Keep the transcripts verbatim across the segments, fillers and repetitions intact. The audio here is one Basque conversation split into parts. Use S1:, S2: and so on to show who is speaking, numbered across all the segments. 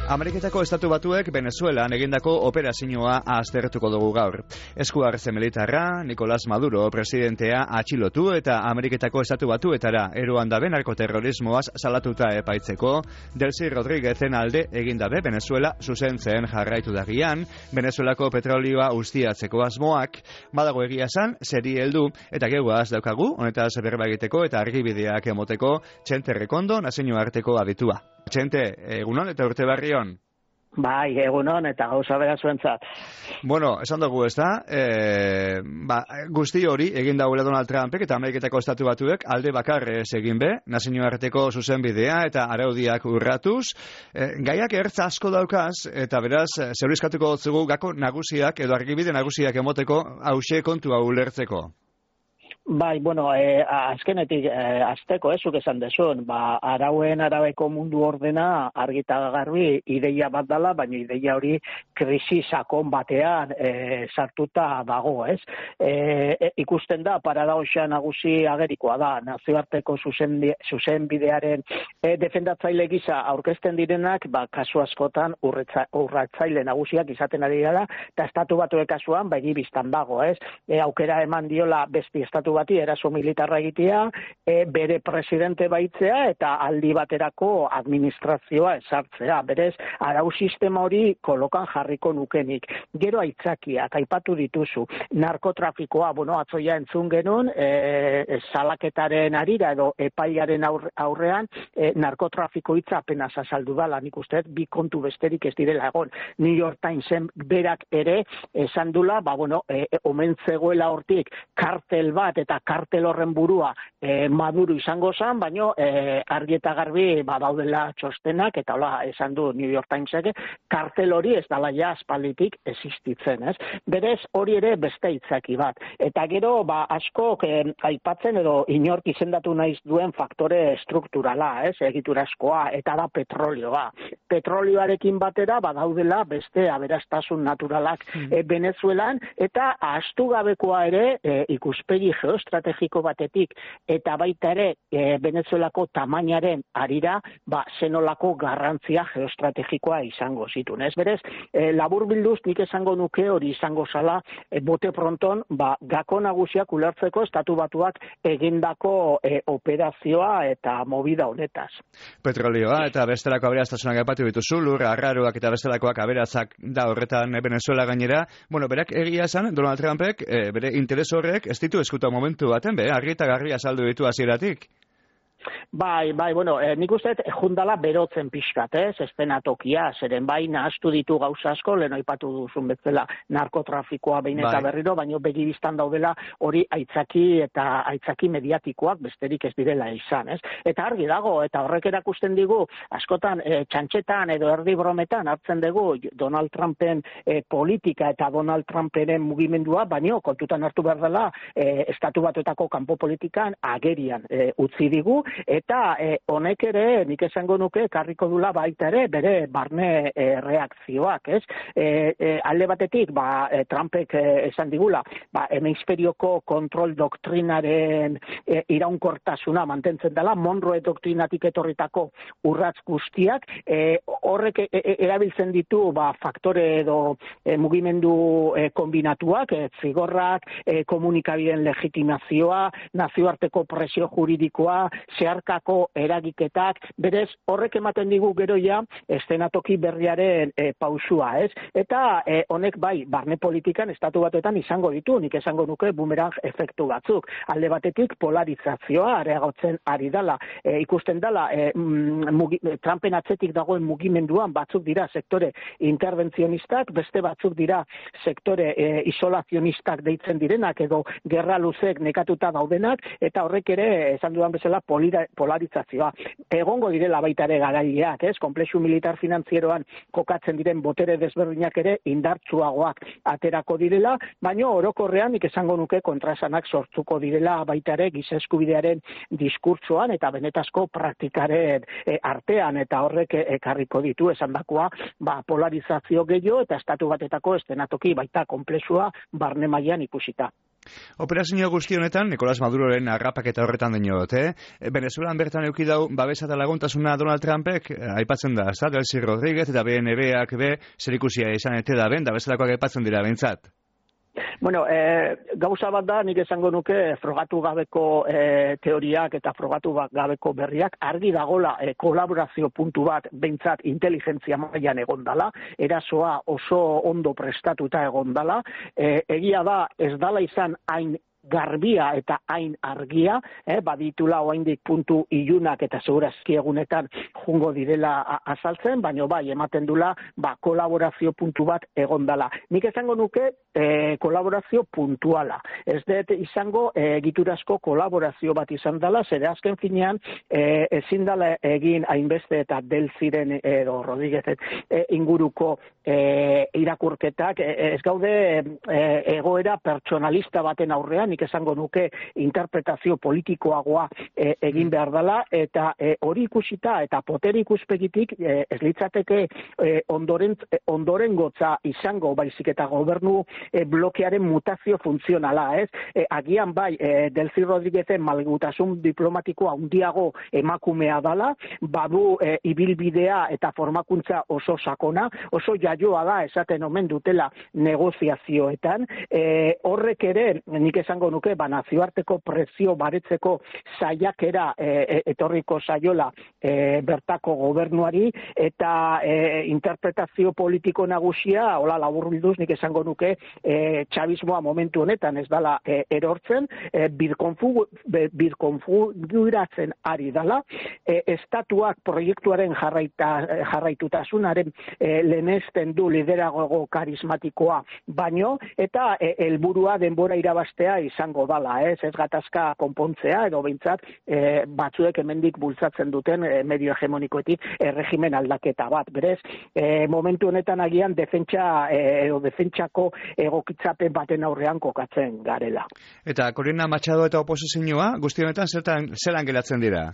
S1: Ameriketako Estatu Batuek Venezuelan egindako operazioa aztertuko dugu gaur. Esku hartze militarra, Nicolás Maduro presidentea atxilotu eta Ameriketako Estatu Batuetara eroan dabe narkoterrorismoaz salatuta epaitzeko, Delcy Rodríguezen alde egindabe Venezuela zuzentzen jarraitu dagian, Venezuelako petrolioa ustiatzeko asmoak, badago egia esan, seri heldu eta geguaz daukagu, honetaz berba egiteko eta argibideak emoteko Txente Rekondo nazioarteko aditua. Txente, egunon eta urte barrion.
S2: Bai, egunon eta gauza bera zuentzat.
S1: Bueno, esan dugu ez da, e, ba, guzti hori egin dagoela Donald Trumpek eta Ameriketako Estatu Batuek alde bakarrez egin be, nazioarteko zuzenbidea eta araudiak urratuz. E, gaiak ertz asko daukaz eta beraz, zeurizkatuko dutzugu gako nagusiak edo argibide nagusiak emoteko hause kontua ulertzeko.
S2: Bai, bueno, eh, azkenetik eh, azteko, ezuk esan desun, ba, arauen arabeko mundu ordena argita garbi ideia bat dela, baina ideia hori krisi sakon batean eh, sartuta dago, ez? Eh, e, ikusten da, paradoxa nagusi agerikoa da, nazioarteko zuzenbidearen eh, defendatzaile gisa aurkezten direnak, ba, kasu askotan urretza, urratzaile nagusiak izaten ari dela, eta Estatu Batuen kasuan, begi biztan dago, ez? E, aukera eman diola besti Estatu bati eraso militarra egitea, e, bere presidente baitzea eta aldi baterako administrazioa esartzea. Berez, arau sistema hori kolokan jarriko nukenik. Gero aitzakiak, aipatu dituzu. Narkotrafikoa, bueno, atzoia entzun genuen, e, salaketaren arira edo epailaren aurrean, e, narkotrafiko hitza apenas azaldu dala, nik uste, bi kontu besterik ez direla egon. New York Timesen berak ere esan dula, ba, bueno, e, omen zegoela hortik kartel bat eta kartel horren burua e, Maduro izango zen, baina e, argi eta garbi badaudela txostenak, eta hola esan du New York Timesek, kartel hori ez dala ja aspalditik existitzen, ez? Berez hori ere beste hitzaki bat. Eta gero, ba, askok e, aipatzen edo inork izendatu naiz duen faktore strukturala, ez? Egiturazkoa, eta da petrolioa. Petrolioarekin batera badaudela beste aberastasun naturalak mm. e, Venezuelan, eta ahaztu gabekoa ere e, ikuspegi geostrategiko batetik eta baita ere e, Venezuelako tamainaren arira, ba, zenolako garrantzia geostrategikoa izango zituen. Ez berez, e, labur bilduz nik esango nuke hori izango zala e, bote pronton, ba, gako nagusiak ulertzeko Estatu Batuak egindako e, operazioa eta movida honetaz.
S1: Petrolioa eta bestelako aberastasunak aipatu dituzu, lur arraroak eta bestelakoak aberatsak da horretan Venezuela gainera. Bueno, berak egia esan, Donald Trumpek e, bere interes horrek ez ditu eskuta momentu baten, be, argi eta garria saldu ditu hasieratik.
S2: Bai, bai, bueno, eh, nik uste jundala berotzen pixkat, ez, eszenatokia, zeren bai, nahaztu ditu gauza asko, lehen aipatu duzun bezala narkotrafikoa behin eta bai. Berriro, baina begibistan daudela hori aitzaki eta aitzaki mediatikoak besterik ez direla izan, ez? Eta argi dago, eta horrek erakusten digu, askotan eh, txantxetan edo erdi brometan hartzen dugu Donald Trumpen eh, politika eta Donald Trumpenen mugimendua, baina kontutan hartu behar dela eh, Estatu Batuetako kanpo politikan agerian eh, utzi digu, eta eh, honek ere, nik esango nuke, karriko dula baita ere, bere barne eh, reakzioak, ez? Eh, eh, alde batetik, ba, eh, Trumpek eh, esan digula, ba, hemisferioko kontrol doktrinaren eh, iraunkortasuna mantentzen dela, Monroe doktrinatik etorritako urratz guztiak, eh, horrek eh, erabiltzen ditu, ba, faktore edo eh, mugimendu eh, kombinatuak, eh, zigorrak, eh, komunikabideen legitimazioa, nazioarteko presio juridikoa, zeharkako eragiketak, berez horrek ematen digu gero ja eszenatoki berriaren e, pausua, ez? Eta e, honek bai, barne politikan Estatu Batuetan izango ditu, nik esango nuke bumerang efektu batzuk. Alde batetik polarizazioa areagotzen ari dela, e, ikusten dela e, mugi, Trumpen atzetik dagoen mugimenduan batzuk dira sektore interventzionistak, beste batzuk dira sektore e, isolazionistak deitzen direnak edo gerra luzek nekatuta daudenak, eta horrek ere esan dudan bezala polarizazioa. Egongo direla baita ere garaileak, ez? Konplexu militar finanzieroan kokatzen diren botere desberdinak ere indartsuagoak aterako direla, baina orokorrean nik esango nuke kontraesanak sortuko direla baita ere giza eskubidearen diskurtsoan eta benetazko praktikaren e, artean, eta horrek ekarriko ditu esandakoa, ba, polarizazio gehiago eta Estatu Batetako eszenatoki baita konplexua barne mailan ikusita.
S1: Operazio guzti honetan, Nicolás Maduroren harrapaketa horretan dinot, eh? Venezuelan bertan euki dau, babesa eta laguntasuna Donald Trumpek, aipatzen da, ez da, Delcy Rodríguez eta B N B-ak be, zerikusia izan ete da ben, da bezalakoak aipatzen dira bentsat.
S2: Bueno, eh, gauza bat da, nik esango nuke frogatu gabeko eh, teoriak eta frogatu gabeko berriak argi dagola eh, kolaborazio puntu bat behintzat inteligentzia mailan egondala, erasoa oso ondo prestatuta egondala, eh, egia da ez dala izan hain garbia eta hain argia, eh, baditula oraindik puntu ilunak eta segurazki egunetan jungo direla azaltzen, baina bai ematen dula ba kolaborazio puntu bat egondala. Nik esango nuke eh, kolaborazio puntuala. Ez dut izango eh, egiturazko kolaborazio bat izan dela, zere azken finean eh, ezin dela egin hainbeste eta Delcyren edo Rodríguez eh, inguruko eh, irakurketak, eh, ez gaude eh, egoera pertsonalista baten aurrean, nik esango nuke interpretazio politikoagoa e, egin behar dela, eta e, hori ikusita eta potere ikuspegitik e, ez litzateke e, ondoren, e, ondoren gotza izango, baizik eta gobernu e, blokearen mutazio funtzionala, ez? E, agian bai, e, Delcy Rodríguezen malgutasun diplomatikoa handiago emakumea dala, badu e, ibilbidea eta formakuntza oso sakona, oso jaioa da esaten omen dutela negoziazioetan, e, horrek ere, nik esango nuke, ba, nazioarteko prezio baretzeko saiakera e, etorriko saiola e, bertako gobernuari, eta e, interpretazio politiko nagusia, hola laburbilduz nik esango nuke, e, txabismoa momentu honetan ez dala e, erortzen, e, birkonfiguratzen ari dala, e, estatuak proiektuaren jarraita, jarraitutasunaren e, lehenesten du liderago karismatikoa baino, eta e, helburua denbora irabastea izango dala, ez, ez gatazka konpontzea, edo behintzat e, batzuek hemendik bultzatzen duten e, medio hegemonikoetik e, regimen aldaketa bat. Berez, e, momentu honetan agian defentsa e, edo defentsako egokitzapen baten aurrean kokatzen garela.
S1: Eta Corina Machado eta oposizioa guzti honetan zertan zelan geratzen dira?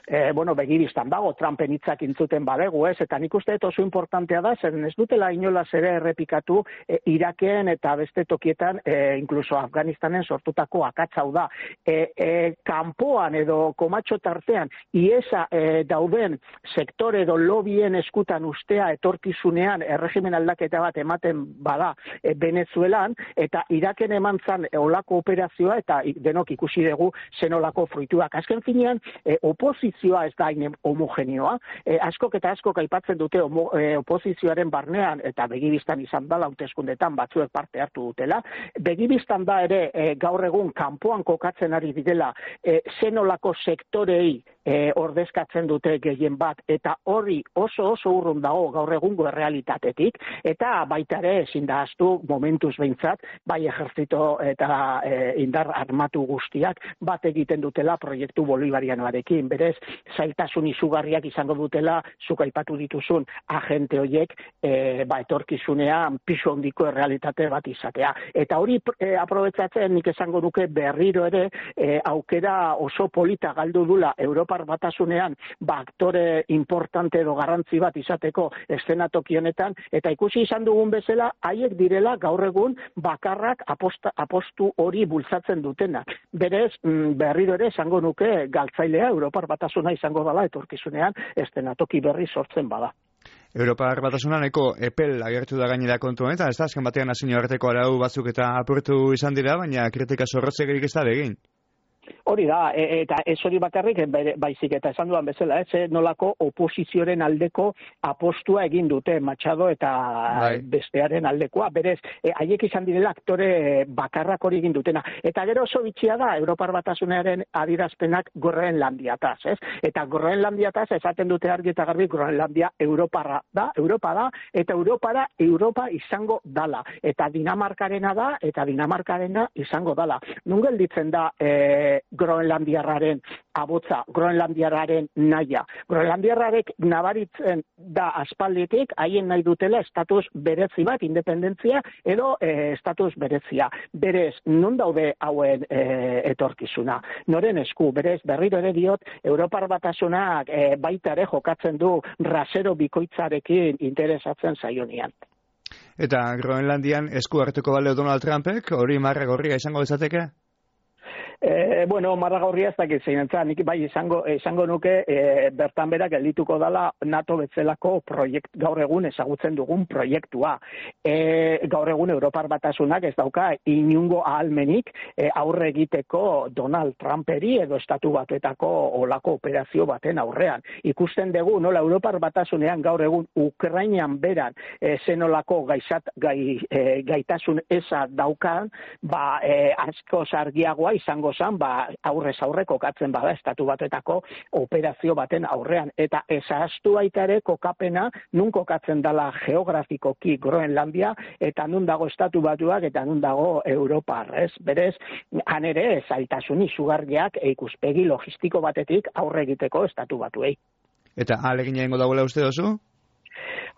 S2: E, bueno, begibistan dago, Trumpen hitzak intzuten badegu, ez, eta nik uste oso importantea da, zeren ez dutela inolaz ere errepikatu e, Iraken eta beste tokietan, e, inkluso Afganistanen sortutako akatzau da. E, e, kanpoan edo komatxo tartean, iesa e, dauden sektore edo lobien eskutan ustea etorkizunean erregimen aldaketa bat ematen bada e, Venezuelan, eta Iraken eman zan olako operazioa, eta denok ikusi dugu zenolako fruituak. Azken finean, e, oposizioa ez da hain homogenioa, e, askok eta askok aipatzen dute homo, e, oposizioaren barnean, eta begibistan izan da hauteskundetan batzuek parte hartu dutela, begibistan da ere e, gaur egun kanpoan kokatzen ari direla e, zenolako sektorei e, ordezkatzen dute gehien bat, eta horri oso oso urrun dago gaur egungo errealitatetik, eta baita ere ezin da ahaztu momentuz behintzat, bai ejertzito eta e, indar armatu guztiak bat egiten dutela proiektu bolivarianoarekin, berez zailtasun izugarriak izango dutela zuk aipatu dituzun agente horiek e, ba, etorkizunean pisu handiko errealitate bat izatea. Eta hori e, aprobetzatzen nik esango nuke berriro ere e, aukera oso polita galdu dula Europar Batasunean ba, aktore importante edo garrantzi bat izateko eszenatoki honetan, eta ikusi izan dugun bezala haiek direla gaur egun bakarrak aposta, apostu hori bultzatzen dutena. Berez berriro ere esango nuke galtzailea Europar Batasuna izango dela etorkizunean eszenatoki berri sortzen bada.
S1: Europar Batasunaneko epel agertu da gainera kontu honetan, ez da azken batean nazio arteko arau batzuk eta apurtu izan dira, baina kritika zorrotzegerik ez da begin.
S2: Hori da, e, eta ez hori bakarrik, baizik eta esan duan bezala, ez nolako oposizioaren aldeko apostua egin dute Machado eta bai. Bestearen aldekoa, berez, e, haiek izan direla aktore bakarrak hori egin dutena. Eta gero oso bitxia da, Europar Batasunaren adirazpenak Groenlandiataz, ez? Eta Groenlandiataz esaten dute argi eta garbi Groenlandia Europarra da, Europa da, eta Europara Europa izango dala. Eta Dinamarkarena da, eta Dinamarkarena izango dala. Nun gelditzen da, e, Groenlandiarraren abotza, Groenlandiarraren naia. Groenlandiarrarek nabaritzen da aspalditik, haien nahi dutela estatus berezi bat, independentzia, edo e, estatus berezia. Berez, non daude hauen e, etorkizuna? Noren esku, berez, berriro ere diot, Europar Batasunak e, baita ere jokatzen du rasero bikoitzarekin interesatzen zaionian.
S1: Eta Groenlandian esku hartuko baleo Donald Trumpek, hori marra gorria izango bezateke?
S2: E, bueno, marra gaurria ez dakit zein entzat, nik bai izango, izango nuke e, bertan bera geldituko dala NATO bezalako proiekt, gaur egun ezagutzen dugun proiektua. E, gaur egun Europar Batasunak ez dauka inungo ahalmenik e, aurre egiteko Donald Trumperi edo Estatu Batuetako olako operazio baten aurrean. Ikusten dugu, nola Europar Batasunean gaur egun Ukrainian beran e, zenolako gaizat, gai, e, gaitasun eza daukan, ba, e, asko sargiagoa izango zan, ba, aurrez aurre kokatzen bada Estatu Batuetako operazio baten aurrean. Eta ezaztu baita ere kokapena nun kokatzen dala geografikoki Groenlandia, eta nun dago Estatu Batuak, eta nun dago Europar, ez? Berez, han ere zailtasun izugarriak ikuspegi logistiko batetik aurre egiteko Estatu Batuei.
S1: Eta alegin egingo dagoela uste dozu?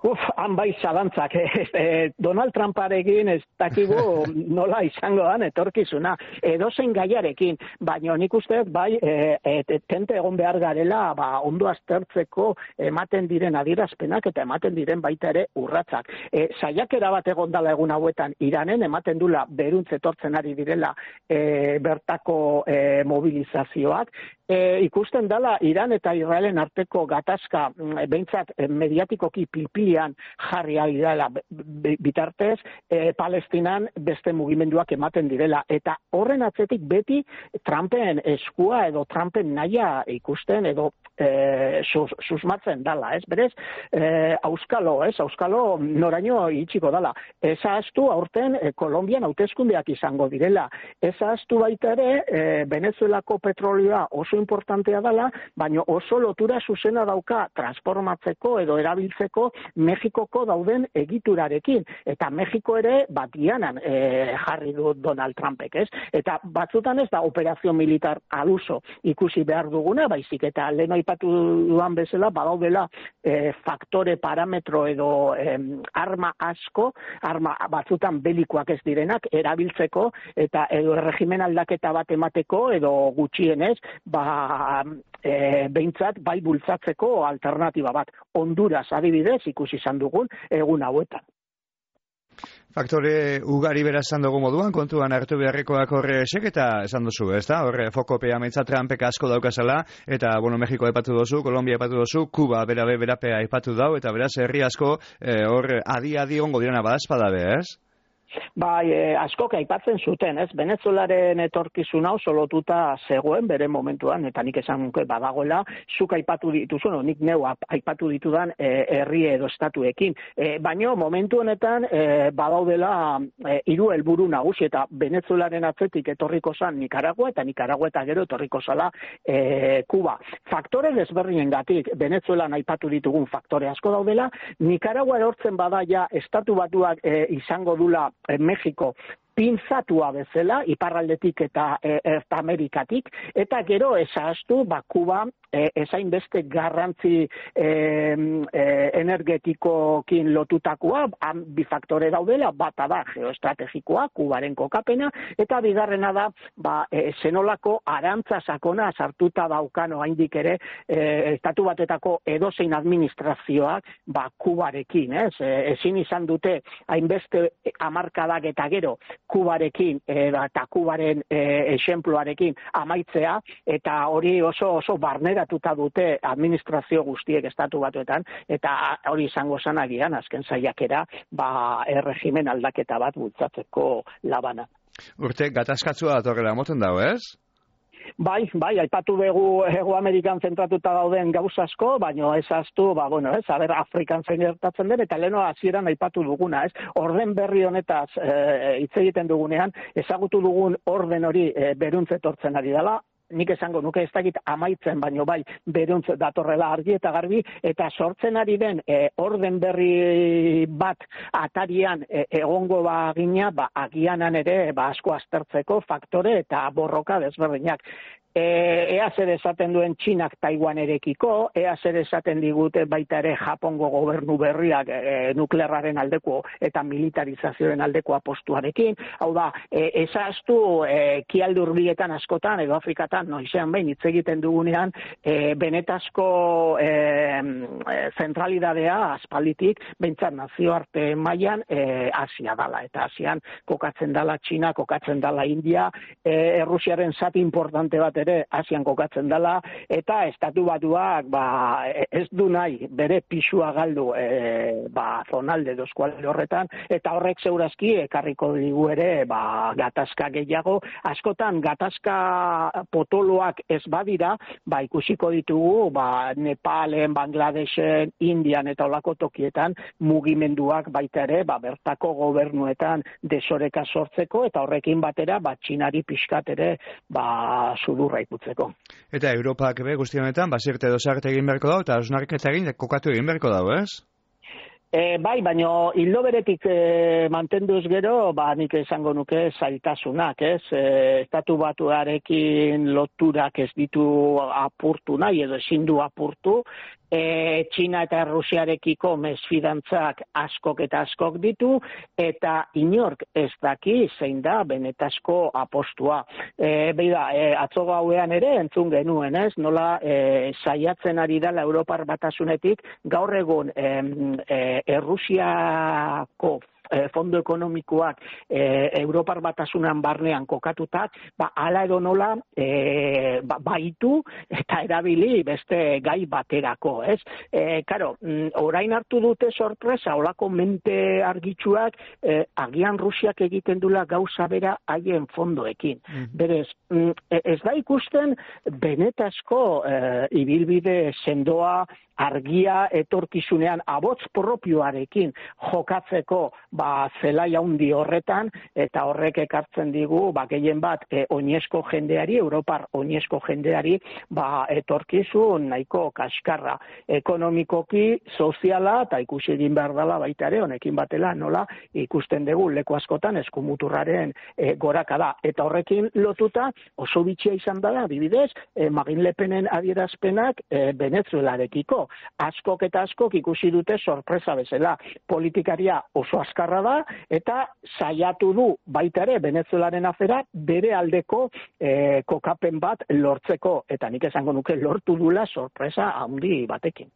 S2: Uf, han bai zalantzak. Eh, Donald Trumparekin ez dakigu nola izango dan etorkizuna. Edozein gaiarekin, baina nik uste bai e, e, tente egon behar garela ba, ondo aztertzeko ematen diren adierazpenak eta ematen diren baita ere urratzak. E, saiakera bat egon dala egun hauetan Iranen, ematen dula beruntz etortzen ari direla e, bertako e, mobilizazioak. E, ikusten dala Iran eta Israelen arteko gatazka behintzat mediatikoki pilpilian jarri ari dela bitartez, e, Palestinan beste mugimenduak ematen direla. Eta horren atzetik beti Trumpen eskua edo Trumpen naia ikusten edo e, sus, susmatzen dala, ez? Berez, e, auskalo, ez? Auskalo noraino itxiko dala. Ez ahaztu aurten e, Kolombian hauteskundeak izango direla. Ez ahaztu baita ere e, Venezuelako petrolioa oso importantea dela, baina oso lotura zuzena dauka transformatzeko edo erabiltzeko Mexikoko dauden egiturarekin. Eta Mexiko ere batianan e, jarri du Donald Trumpek, ez? Eta batzutan ez da operazio militar aluso ikusi behar duguna, baizik eta lehen aipatu duan bezala, badaudela e, faktore, parametro edo e, arma asko, arma batzutan belikoak ez direnak, erabiltzeko eta edo erregimen aldaketa bat emateko edo gutxienez, ba e, behintzat bai bultzatzeko alternatiba bat. Honduras adibidez ikusi izan dugun egun hauetan.
S1: Faktore ugari beraz esan dugu moduan, kontuan hartu beharrekoak horre esek, eta esan duzu, ez da? Horre fokopea meitza Trumpek asko daukazala, eta, bueno, Mexiko epatu dozu, Kolombia epatu dozu, Kuba berabe berapea epatu dau, eta beraz herri asko hor e, adi-adi ongo direna badazpadabe, ez?
S2: Bai, eh, askok aipatzen zuten, ez? Venezuelaren etorkizun hau solotuta zegoen bere momentuan, eta nik esan nuke badagoela, zuk aipatu dituzu, no, nik neu aipatu ditudan eh, herri edo estatuekin. Eh, baino, momentu honetan eh, badaudela eh, hiru helburu nagusi, eta Venezuelaren atzetik etorriko zan Nicaragua, eta Nicaragua eta gero etorriko zala eh, Kuba. Faktore desberdinengatik Venezuelan aipatu ditugun faktore asko daudela, Nicaragua erortzen bada ja Estatu Batuak eh, izango dula Mexiko pintzatua bezala, iparraldetik eta e, Erta Amerikatik, eta gero ezaztu, ba, Kuba e, ezain beste garrantzi e, e, energetikokin lotutakoa, han bi faktore daudela, bata da geoestrategikoa, Kubaren kokapena, eta bigarrena da, ba, e, zenolako arantza sakona sartuta daukano haindik ere, e, Estatu Batetako edozein administrazioak, ba, Kubarekin, ez? E, ezin izan dute hainbeste hamarkadak eta gero, Kubarekin eta Kubaren esenpluarekin amaitzea, eta hori oso oso barneratuta dute administrazio guztiek Estatu Batuetan, eta hori izango zanagian azken saiakera ba erregimen aldaketa bat bultzatzeko labana.
S1: Urte gatazkatzua datorrela moten dago, ez?
S2: Bai, bai, aipatu dugu Hego Amerikan zentratuta dauden gauza asko, baina ez ahaztu, ba, bueno, ez, aber Afrikan zein gertatzen den, eta leno hasieran aipatu duguna, ez, orden berri honetaz hitz e, egiten dugunean, ezagutu dugun orden hori e, beruntz etortzen ari dela, nik esango nuke ez dakit amaitzen, baino bai beruntz datorrela argi eta garbi, eta sortzen ari den e, orden berri bat atarian e, egongo bagina, ba, agianan ere ba, asko aztertzeko faktore eta borroka desberdinak. E, ea zer esaten duen Txinak Taiwanerekiko, ea zer esaten digute baita ere Japongo gobernu berriak e, nuklearraren aldeko eta militarizazioaren aldeko apostuarekin. Hau da, e, ezaztu e, kialde hurbietan askotan edo Afrikatan askotan, noizean behin hitz egiten dugunean, e, benetazko e, zentralidadea aspalditik, behintzat nazioarte mailan e, Asia dala, eta Asian kokatzen dala Txina, kokatzen dala India, e, Errusiaren zati importante bat ere Asian kokatzen dala, eta estatu batuak ba, ez du nahi bere pisua galdu e, ba, zonalde dozkualde horretan, eta horrek zeurazki ekarriko digu ere ba, gatazka gehiago, askotan gatazka potoloak ez badira, ba, ikusiko ditugu ba, Nepalen, Bangladesen, Indian eta olako tokietan mugimenduak baita ere ba, bertako gobernuetan desoreka sortzeko, eta horrekin batera ba, Txinari pixkat ere ba, sudurra ikutzeko.
S1: Eta Europak be guzti honetan, basirte dosarte egin beharko dago, eta osnarketa egin kokatu egin beharko dago, ez?
S2: E, bai, baina hildo beretik e, mantenduz gero, ba, nik esango nuke zailtasunak, ez? E, estatu batuarekin loturak ez ditu apurtu nahi, edo ezin du apurtu, e, Txina eta Rusiarekiko mesfidantzak askok eta askok ditu, eta inork ez daki zein da benetazko apostua. E, Beida, e, atzo gauean ere entzun genuen, ez? Nola e, saiatzen ari dela Europar Batasunetik gaur egun e, e, Errusiako fondo ekonomikoak e, Europar Batasunan barnean kokatutak, ba, ala edo nola e, ba, baitu eta erabili beste gai baterako, ez? E, karo, orain hartu dute sorpresa, olako mente argitsuak, e, agian Rusiak egiten dula gauza bera haien fondoekin. Mm. Berez, ez da ikusten benetazko e, ibilbide sendoa, argia etorkizunean abots propioarekin jokatzeko ba, zelai handi horretan, eta horrek ekartzen digu ba, gehien bat e, oinezko jendeari, Europar oinezko jendeari ba, etorkizun nahiko kaskarra. Ekonomikoki, soziala, eta ikusi egin behar dela baita ere, honekin batela nola ikusten dugu leku askotan eskumuturraren e, gorakada. Eta horrekin lotuta oso bitxia izan dela, adibidez, e, Marine Le Penen adierazpenak e, Venezuelarekiko. Askok eta askok ikusi dute sorpresa bezala. Politikaria oso azkarra da, eta saiatu du baita ere Venezuelaren afera bere aldeko e, kokapen bat lortzeko, eta nik esango nuke lortu dula sorpresa handi batekin.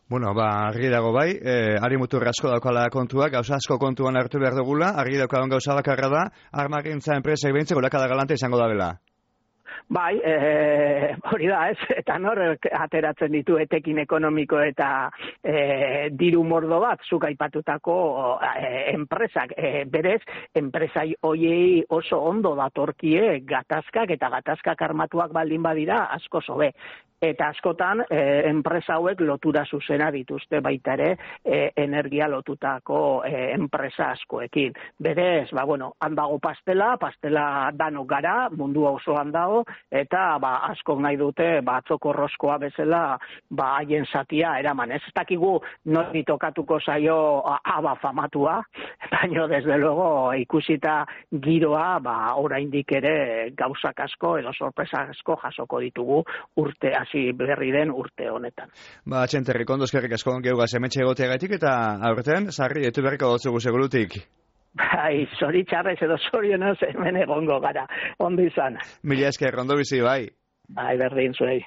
S1: Bueno, ba, argi dago bai, eh, ari mutur asko daukala kontuak, gauza asko kontuan hartu behar dugula, argi daukadon gauza bakarra da, armagintza enpresa ebentzeko lakada galante izango da bela.
S2: Bai, e, hori da, ez, eta nor ateratzen ditu etekin ekonomiko eta e, diru mordo bat, zuk aipatutako e, enpresak, e, berez, enpresai hoiei oso ondo datorkie gatazkak, eta gatazkak armatuak baldin badira asko sobe. Eta askotan, e, enpresa hauek lotura zuzena dituzte baita ere e, energia lotutako e, enpresa askoekin. Berez, ba, bueno, handago pastela, pastela danok gara, mundu osoan dago, eta ba, askok nahi dute batzoko roskoa bezala ba, haien zatia eraman. Ez dakigu nori tokatuko zaio aba famatua, baina desde luego ikusita giroa, ba, oraindik ere gauzak asko edo sorpresa asko jasoko ditugu urte hasi berri den urte honetan.
S1: Ba, txenterri, kondozkerrik asko geugaz emetxe egoteagatik, eta aurten, sarri, etu berriko dotzugu segurutik.
S2: Bai, zoritxarrez edo zorionez hemen egongo gara, ondo izan.
S1: Mila esker, ondo bizi, bai.
S2: Bai, berdin zuei.